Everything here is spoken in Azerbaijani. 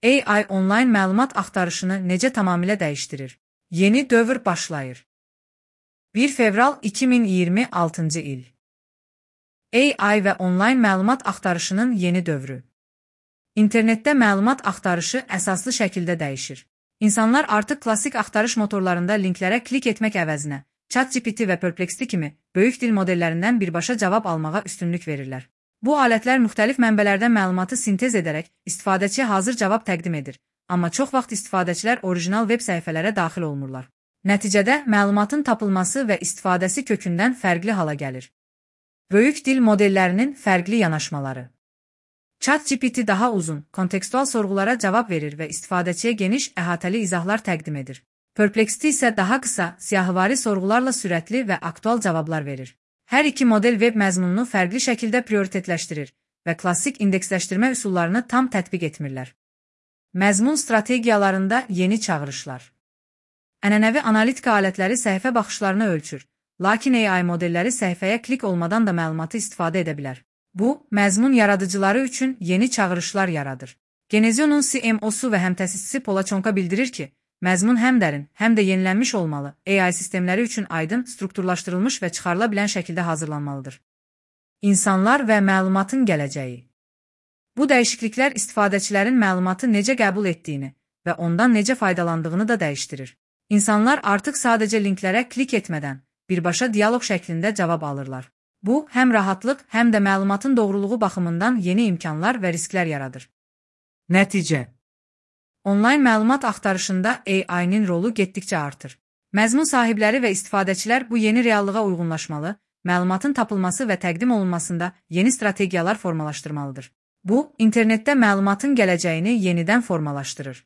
AI onlayn məlumat axtarışını necə tamamilə dəyişdirir? Yeni dövr başlayır. 1 fevral 2026-cı il. AI və onlayn məlumat axtarışının yeni dövrü. İnternetdə məlumat axtarışı əsaslı şəkildə dəyişir. İnsanlar artıq klassik axtarış motorlarında linklərə klik etmək əvəzinə, ChatGPT və Perplexity kimi böyük dil modellərindən birbaşa cavab almağa üstünlük verirlər. Bu alətlər müxtəlif mənbələrdən məlumatı sintez edərək istifadəçiyə hazır cavab təqdim edir, amma çox vaxt istifadəçilər orijinal veb səhifələrə daxil olmurlar. Nəticədə məlumatın tapılması və istifadəsi kökündən fərqli hala gəlir. Böyük dil modellərinin fərqli yanaşmaları. ChatGPT daha uzun, kontekstual sorğulara cavab verir və istifadəçiyə geniş, əhatəli izahlar təqdim edir. Perplexity isə daha qısa, siyahıvari sorğularla sürətli və aktual cavablar verir. Hər iki model veb məzmununu fərqli şəkildə prioritetləşdirir və klassik indeksləşdirmə üsullarını tam tətbiq etmirlər. Məzmun strategiyalarında yeni çağırışlar. Ənənəvi analitika alətləri səhifə baxışlarını ölçür, lakin AI modelləri səhifəyə klik olmadan da məlumatı istifadə edə bilər. Bu, məzmun yaradıcıları üçün yeni çağırışlar yaradır. Genezion'un CMO-su və həmtəsisçisi Polaçonka bildirir ki, məzmun həm dərin, həm də yenilənmiş olmalı, AI sistemləri üçün aydın, strukturlaşdırılmış və çıxarıla bilən şəkildə hazırlanmalıdır. İnsanlar və məlumatın gələcəyi. Bu dəyişikliklər istifadəçilərin məlumatı necə qəbul etdiyini və ondan necə faydalandığını da dəyişdirir. İnsanlar artıq sadəcə linklərə klik etmədən, birbaşa dialoq şəklində cavab alırlar. Bu, həm rahatlıq, həm də məlumatın doğruluğu baxımından yeni imkanlar və risklər yaradır. Nəticə. Onlayn məlumat axtarışında AI-nin rolu getdikcə artır. Məzmun sahibləri və istifadəçilər bu yeni reallığa uyğunlaşmalı, məlumatın tapılması və təqdim olunmasında yeni strategiyalar formalaşdırmalıdır. Bu, internetdə məlumatın gələcəyini yenidən formalaşdırır.